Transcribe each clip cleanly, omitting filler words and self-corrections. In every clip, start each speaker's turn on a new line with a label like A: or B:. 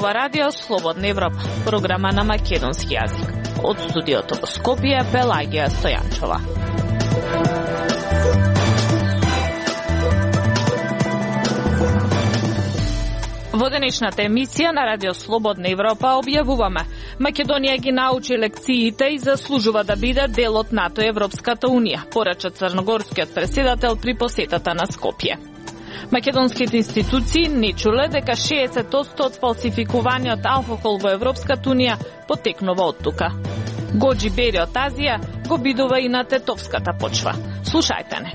A: ова радио Слободна Европа, програма на македонски јазик. Од студиото во Скопје, Пелагија Стојанчова. Во денешната емисија на Радио Слободна Европа објавуваме: Македонија ги научи лекциите и заслужува да биде дел од НАТО и Европската Унија, порача црногорскиот преседател при посетата на Скопје. Македонските институции не чуле дека 60% од фалсификуваниот алкохол во Европската Унија потекнува од тука. Гоџи Бери од Азија го бидува и на тетовската почва. Слушајте не.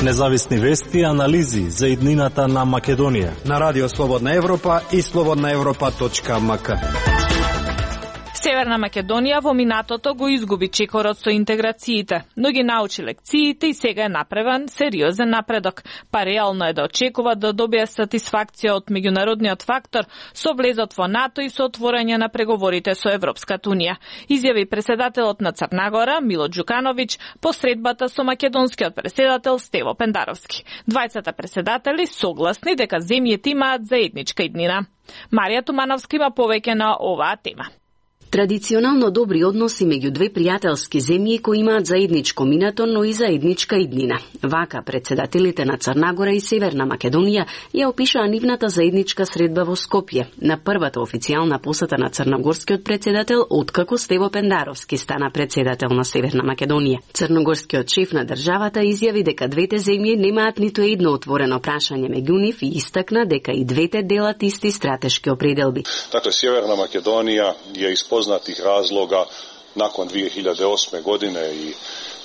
B: Независни вести и анализи за иднината на Македонија
C: на Радио Слободна Европа и slobodnaevropa.mk.
A: Северна Македонија во минатото го изгуби чекорот со интеграциите, но ги научи лекциите и сега е направен сериозен напредок. Па реално е да очекува да добие сатисфакција од меѓународниот фактор со влезот во НАТО и со отворање на преговорите со Европската Унија, изјави преседателот на Црна Гора Мило Ѓукановиќ по средбата со македонскиот преседател Стево Пендаровски. Двајцата преседатели согласни дека земјите имаат заедничка иднина. Марија Тумановска има повеќе на оваа тема.
D: Традиционално добри односи меѓу две пријателски земји кои имаат заедничко минато, но и заедничка иднина. Вака председателите на Црна Гора и Северна Македонија ја опишаа нивната заедничка средба во Скопје, на првата официјална посета на црногорскиот председател откако Стево Пендаровски стана председател на Северна Македонија. Црногорскиот шеф на државата изјави дека двете земји немаат ниту едно отворено прашање меѓу нив и истакна дека и двете делат исти стратешки определби.
E: Така Северна Македонија ја познатих разлога након 2008 године и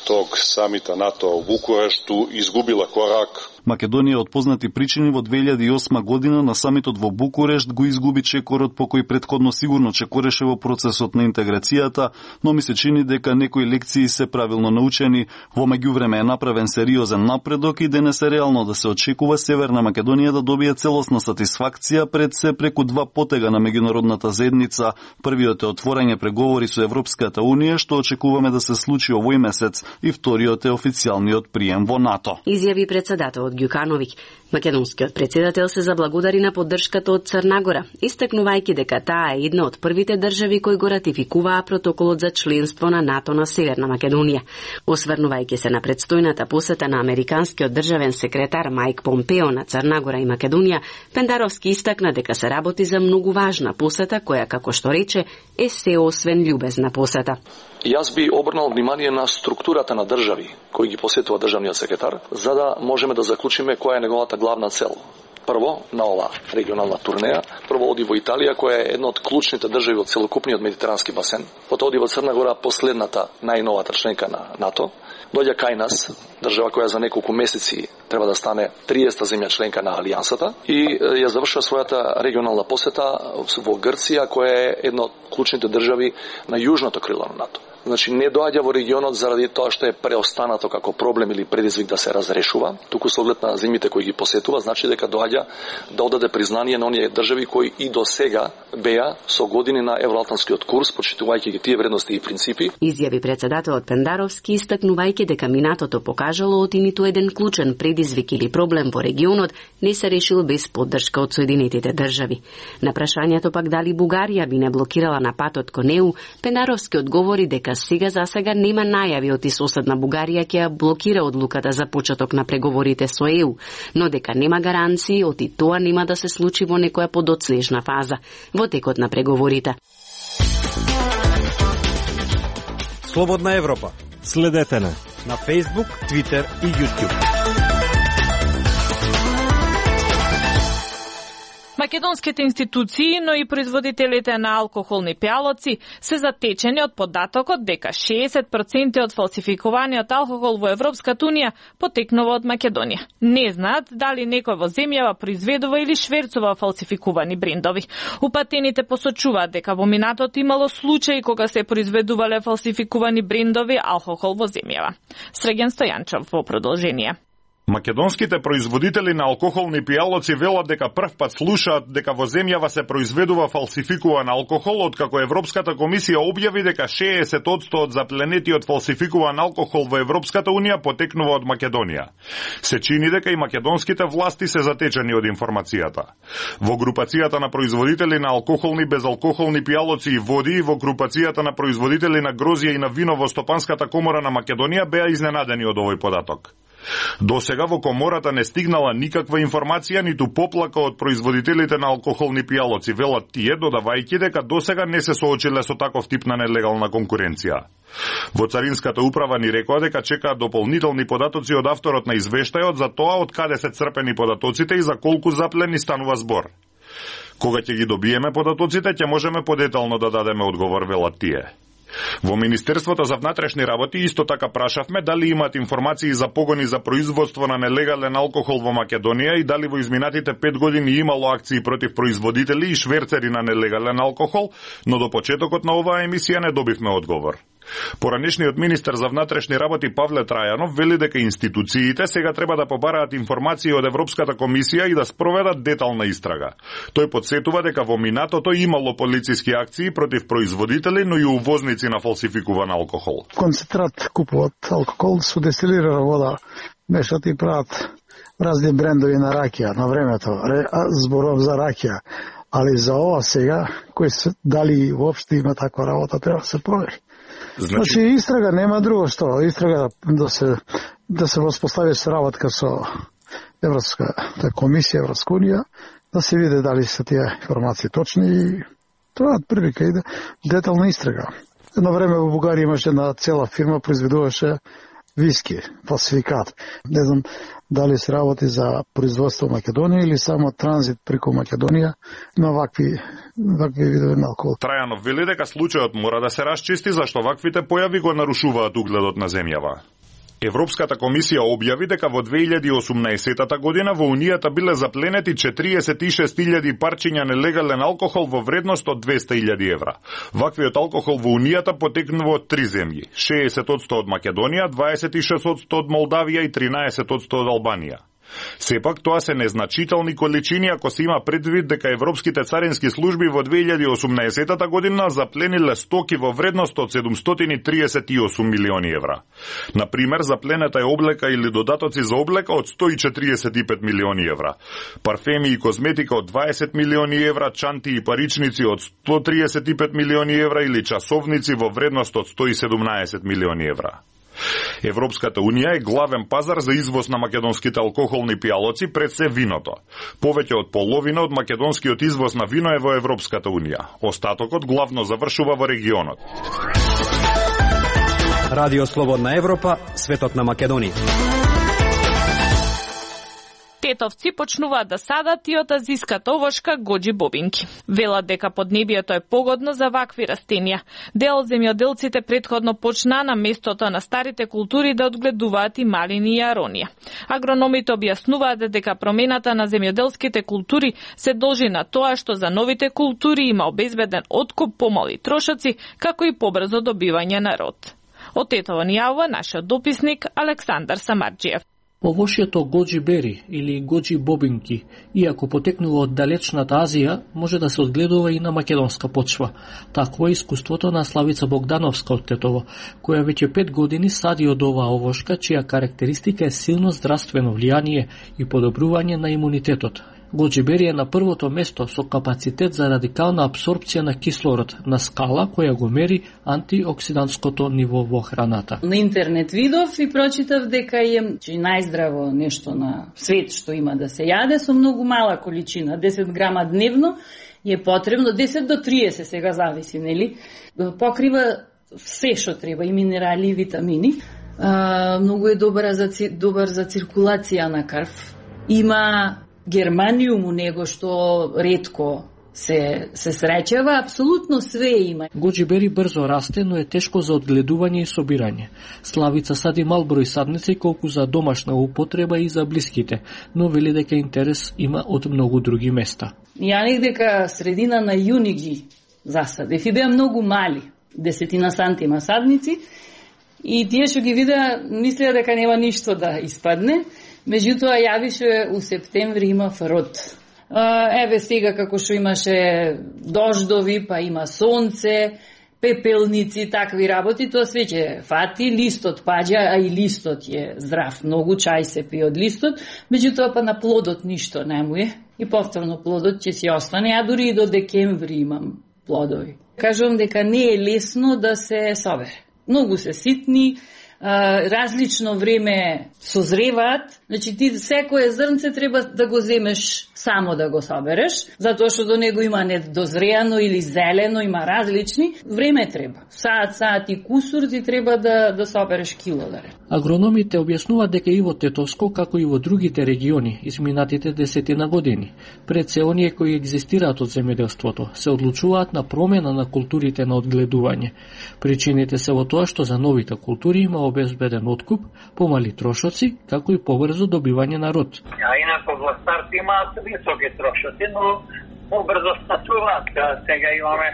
E: тог самита НАТО у Букурешту изгубила корак.
F: Македонија од познати причини во 2008 година на самитот во Букурешт го изгуби чекорот по кој претходно сигурно чекореше во процесот на интеграцијата, но ми се чини дека некои лекции се правилно научени, во меѓувреме е направен сериозен напредок и денес е реално да се очекува Северна Македонија да добие целосна сатисфакција пред се преку два потега на меѓународната заедница. Првиот е отворање преговори со Европската Унија, што очекуваме да се случи овој месец, и вториот е официјалниот прием во НАТО.
D: Изјави председателот Ѓукановиќ. Македонскиот председател се заблагодари на поддршката од Црна Гора, истакнувајќи дека таа е една од првите држави кои го ратификуваа протоколот за членство на НАТО на Северна Македонија. Осврнувајќи се на предстојната посета на американскиот државен секретар Мајк Помпео на Црна Гора и Македонија, Пендаровски истакна дека се работи за многу важна посета која, како што рече, е се освен љубезна посета.
G: Јас би обрнал внимание на структурата на држави кои ги посетува државниот секретар, за да можеме да заклучиме која е неговата главна цел. Прво, на ова регионална турнеја, прво оди во Италија, која е една од клучните држави од целокупниот медитерански басен. Потоа оди во Црна Гора, последната најновата членка на НАТО. Доаѓа кај нас, држава која за неколку месеци треба да стане 30-та земја членка на Алијансата и ја завршува својата регионална посета во Грција, која е една од клучните држави на јужното крило на НАТО. Значи не доаѓа во регионот заради тоа што е преостанато како проблем или предизвик да се разрешува, туку со оглед на земјите кои ги посетува, значи дека доаѓа да одаде признание на оние држави кои и до сега беа со години на евроатлантскиот курс, почитувајќи ги тие вредности и принципи.
D: Изјави председателот Пендаровски, истакнувајќи дека минатото покажало оти ниту еден клучен предизвик или проблем во регионот не се решил без поддршка од Соединетите држави. На прашањето пак дали Бугарија би не блокирала на патот кон ЕУ, Пендаровски одговори дека сега за сега нема најави од соседна Бугарија ќе ја блокира одлуката за почеток на преговорите со ЕУ, но дека нема гаранции оти тоа нема да се случи во некоја подоцнежна фаза во текот на преговорите.
C: Слободна Европа.
B: Следете на
C: Facebook, Twitter и YouTube.
A: Македонските институции, но и производителите на алкохолни пијалоци се затечени од податокот дека 60% од фалсификуваниот алкохол во Европската Унија потекнува од Македонија. Не знаат дали некој во земјава произведува или шверцува фалсификувани брендови. Упатените посочуваат дека во минатото имало случаи кога се произведувале фалсификувани брендови алкохол во земјава. Среген Стојанчов во продолжение.
H: Македонските производители на алкохолни пијалоци велат дека првпат слушаат дека во земјава се произведува фалсификуван алкохол, откако Европската комисија објави дека 60% од запленетиот фалсификуван алкохол во Европската унија потекнува од Македонија. Се чини дека и македонските власти се затечени од информацијата. Во групацијата на производители на алкохолни, безалкохолни пијалоци и води и во групацијата на производители на грозје и на вино во Стопанската комора на Македонија беа изненадени од овој податок. До сега во комората не стигнала никаква информација ниту поплака од производителите на алкохолни пијалоци, велат тие, додавајќи дека до сега не се соочиле со таков тип на нелегална конкуренција. Во Царинската управа ни рекоа дека чекаат дополнителни податоци од авторот на извештајот за тоа од каде се црпени податоците и за колку заплени станува збор. Кога ќе ги добиеме податоците, ќе можеме подетално да дадеме одговор, велат тие. Во Министерството за внатрешни работи исто така прашавме дали имаат информации за погони за производство на нелегален алкохол во Македонија и дали во изминатите 5 години имало акции против производители и шверцери на нелегален алкохол, но до почетокот на оваа емисија не добивме одговор. Поранешниот министер за внатрешни работи Павле Трајанов вели дека институциите сега треба да побараат информации од Европската комисија и да спроведат детална истрага. Тој потсетува дека во минатото имало полициски акции против производители, но и увозници на фалсификуван алкохол.
I: Концентрат купуваат алкохол со дестилирана вода, мешат и прават разни брендови на ракија на времето. Зборов за ракија, али за ова сега, кој се дали воопшто има таква работа, треба да се провери. Значи истрага нема друго што, истрага да се воспостави соработка со Европската комисија, Европска унија, да се види дали се тие информации точни и тоа прилика иде детална истрага. Едно време во Бугарија имаше една цела фирма произведуваше виски, фалсификат. Не знам дали се работи за производство во Македонија или само транзит преку Македонија на вакви видови на алкохол.
H: Трајанов вели дека случајот мора да се расчисти зашто ваквите појави го нарушуваат угледот на земјава. Европската комисија објави дека во 2018 година во Унијата биле запленети 46.000 парчиња нелегален алкохол во вредност од 200.000 евра. Ваквиот алкохол во Унијата потекнува од 3 земји: 60% од Македонија, 26% од Молдавија и 13% од Албанија. Сепак тоа се незначителни количини ако се има предвид дека европските царински служби во 2018 година заплениле стоки во вредност од 738 милиони евра. Например, запленета е облека или додатоци за облека од 145 милиони евра, парфеми и козметика од 20 милиони евра, чанти и паричници од 135 милиони евра или часовници во вредност од 117 милиони евра. Европската унија е главен пазар за извоз на македонските алкохолни пијалоци пред се виното. Повеќе од половина од македонскиот извоз на вино е во Европската унија. Остатокот главно завршува во регионот.
C: Радио Слободна Европа, светот на Македонија.
A: Тетовци почнуваат да садат и од азиската овошка гоџи бобинки. Велат дека поднебието е погодно за вакви растенија. Дел земјоделците претходно почнаа на местото на старите култури да одгледуваат и малини и аронија. Агрономите објаснуваат дека промената на земјоделските култури се должи на тоа што за новите култури има обезбеден откуп, помали трошоци, како и побрзо добивање на род. Од Тетово ни јавува нашиот дописник Александар Самарџиев.
J: Овошјето гоџи бери или гоџи бобинки, иако потекнува од далечната Азија, може да се одгледува и на македонска почва. Такво е искуството на Славица Богдановска од Тетово, која веќе 5 години сади од оваа овошка, чија карактеристика е силно здравствено влијание и подобрување на имунитетот. Гоџи бери е на првото место со капацитет за радикална апсорбција на кислород на скала која го мери антиоксидантското ниво во храната.
K: На интернет видов и прочитав дека е најздраво нешто на свет што има да се јаде со многу мала количина, 10 грама дневно е потребно, 10 до 30 сега зависи, нели? Покрива се што треба, и минерали и витамини. Многу е добар за циркулација на крв. Има германиум у него што ретко се среќава, апсолутно све има.
J: Гоџи бери брзо расте, но е тешко за одгледување и собирање. Славица сади мал број садници колку за домашна употреба и за блиските, но вели дека интерес има од многу други места.
K: Ја дека средина на јуни ги засадев и беа многу мали, 10 сантима садници, и тие што ги видеа мислеа дека нема ништо да испадне, Меѓутоа јавише у септември има фрод. Еве сега како што имаше дождови, па има сонце, пепелници, такви работи, тоа све ќе фати, листот паѓа, а и листот е здрав, многу чај се пие од листот, меѓутоа па на плодот ништо не му е и повторно плодот ќе си остане, а дури и до декември имам плодови. Кажувам дека не е лесно да се собере. Многу се ситни, различно време созреваат, значи ти секое зрнце треба да го земеш само да го собереш, затоа што до него има недозреано или зелено, има различни, време треба. Саат и кусур ти треба да собереш килодаре.
J: Агрономите објаснуваат дека и во Тетовско, како и во другите региони, изминатите 10 години, пред се оние кои екзистираат од земјоделството, се одлучуваат на промена на културите на одгледување. Причините се во тоа што за новите култури има обезбеден откуп, помали трошоци, како и побрзо добивање на род.
L: А инако во старт имаат високи трошоци, но побрзо статуваат. Сега имаме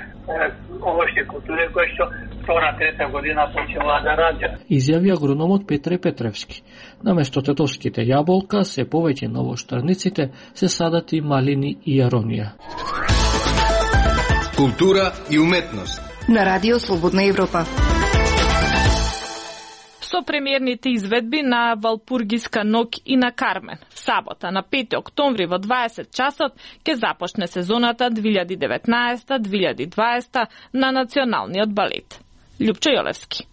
L: овошти култури кои што втора, трета година почнуваат да раѓаат.
J: Изјави агрономот Петре Петревски. Наместо тетовските јаболка, се повеќе на воштарниците се садат и малини и јаронија.
M: Култура и уметност.
N: На Радио Слободна Европа.
A: Со премиерните изведби на Валпургиска ноќ и на Кармен. В сабота, на 5 октомври во 20 часот, ќе започне сезоната 2019-2020 на Националниот балет. Љупчо Јолевски.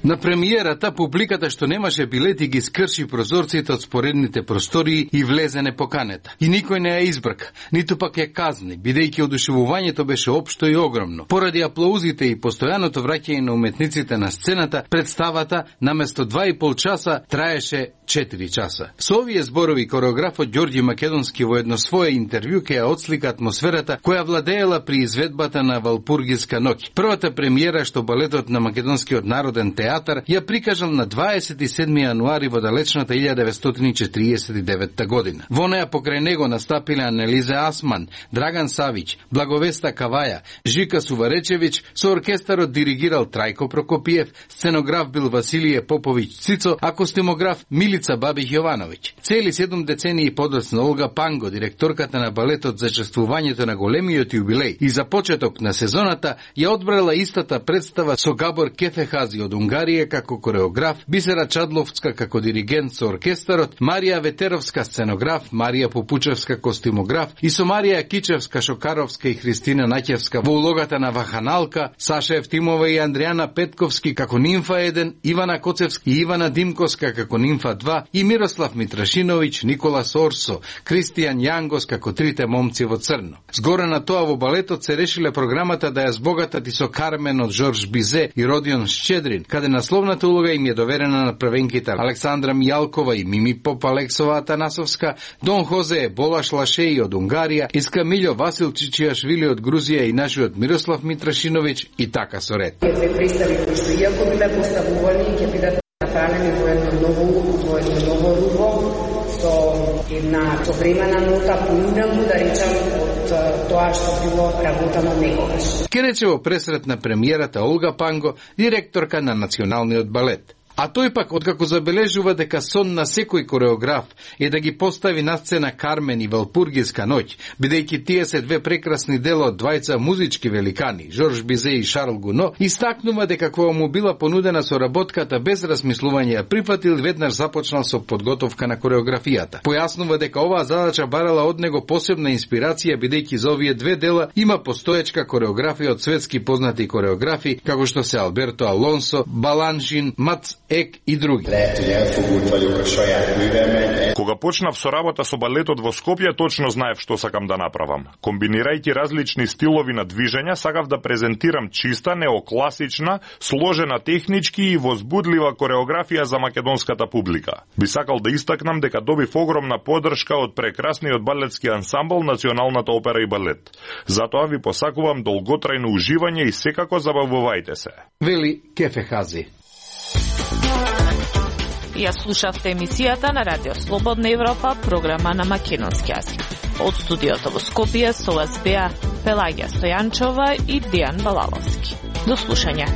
M: На премиерата, публиката што немаше билети ги скрши прозорците од споредните простории и влезе непоканета. И никој не ја избрка, ниту пак ја казни, бидејќи одушевувањето беше општо и огромно. Поради аплаузите и постојаното враќање на уметниците на сцената, представата наместо 2,5 часа траеше 4 часа. Со овие зборови кореографот Ѓорѓи Македонски во едно свое интервју ќе ја отслика атмосферата која владеела при изведбата на Валпургиска ноќ. Првата премиера што балетот на Македонскиот народен театар ја прикажал на 27. јануари во далечната 1949 година. Во неа покрај него настапиле Анелиза Асман, Драган Савиќ, Благовеста Каваја, Жика Суваречевиќ, со оркестарот диригирал Трајко Прокопиев, сценограф бил Василије Поповиќ Цицо, а костимограф Милица Бабиќ Јовановиќ. Цели 7 децении подоцна Олга Панго, директорката на балетот за чествувањето на големиот јубилеј и за почеток на сезоната, ја одбрала истата представа со Габор Кефехази од Унгарија како кореограф, Бисера Чадловска како диригент со оркестарот, Марија Ветеровска сценограф, Марија Попучевска костимограф и со Марија Кичевска Шокаровска и Христина Наќевска во улогата на Ваханалка, Саша Евтимова и Андријана Петковски како Нимфа 1, Ивана Коцевски и Ивана Димковска како Нимфа 2 и Мирослав Митрашиновиќ, Николас Орсо, Кристијан Јангос како Трите момци во црно. Згоре на тоа во балетот се решиле програмата да ја збогатат и со Кармен од Жорж Бизе и Родион Шчедрин, каде насловната улога им е доверена на првенките Александра Мијалкова и Мими Поп Алексова Атанасовска, Дон Хозе Болаш Лашеи од Унгарија, Искамилјо Васил Чичијашвили од Грузија и нашиот Мирослав Митрашиновиќ и така со ред.
O: Две представи кои што иако биле поставувани ќе бидат направени во едно ново руво, со една современа нота, поинакво да речам од тоа што било работено некогаш.
M: Ке рече во пресрет на премиерата Олга Панго, директорка на Националниот балет. А тој пак, откако забележува дека сон на секој кореограф е да ги постави на сцена Кармен и Валпургиска ноќ, бидејќи тие се две прекрасни дела од двајца музички великани, Жорж Бизе и Шарл Гуно, истакнува дека кога му била понудена соработката без размислување ја прифатил и веднаш започнал со подготовка на кореографијата. Појаснува дека оваа задача барала од него посебна инспирација, бидејќи за овие две дела има постоечка кореографија од светски познати кореографи, како што се Алберто Алонсо, Баланшин, Мац Ек и други.
H: Кога почнав со работа со балетот во Скопје, точно знаев што сакам да направам. Комбинирајќи различни стилови на движење, сакав да презентирам чиста, неокласична, сложена технички и возбудлива кореографија за македонската публика. Би сакал да истакнам дека добив огромна поддршка од прекрасниот балетски ансамбл Националната опера и балет. Затоа ви посакувам долготрајно уживање и секако забавувајте се.
M: Вели Кефехази.
A: Ја слушавте емисијата на Радио Слободна Европа, програма на македонски јазик. Од студиото во Скопје со вас беа Пелагија Стојанчова и Дијан Балаловски. До слушање.